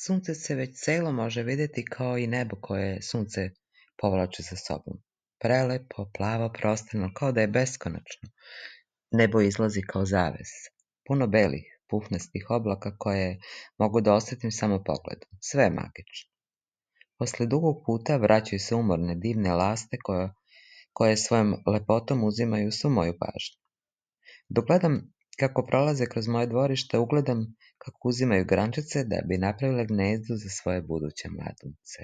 Sunce se već celo može vidjeti kao i nebo koje sunce povlači za sobom. Prelepo, plavo, prostrano, kao da je beskonačno. Nebo izlazi kao zaves. Puno belih, pufnastih oblaka koje mogu da osjetim samo pogledom. Sve je magično. Posle dugog puta vraćaju se umorne, divne laste koje svojom lepotom uzimaju svu moju pažnju. Dok gledam kako prolaze kroz moje dvorište, ugledam kako uzimaju grančice da bi napravile gnezdo za svoje buduće mladunce.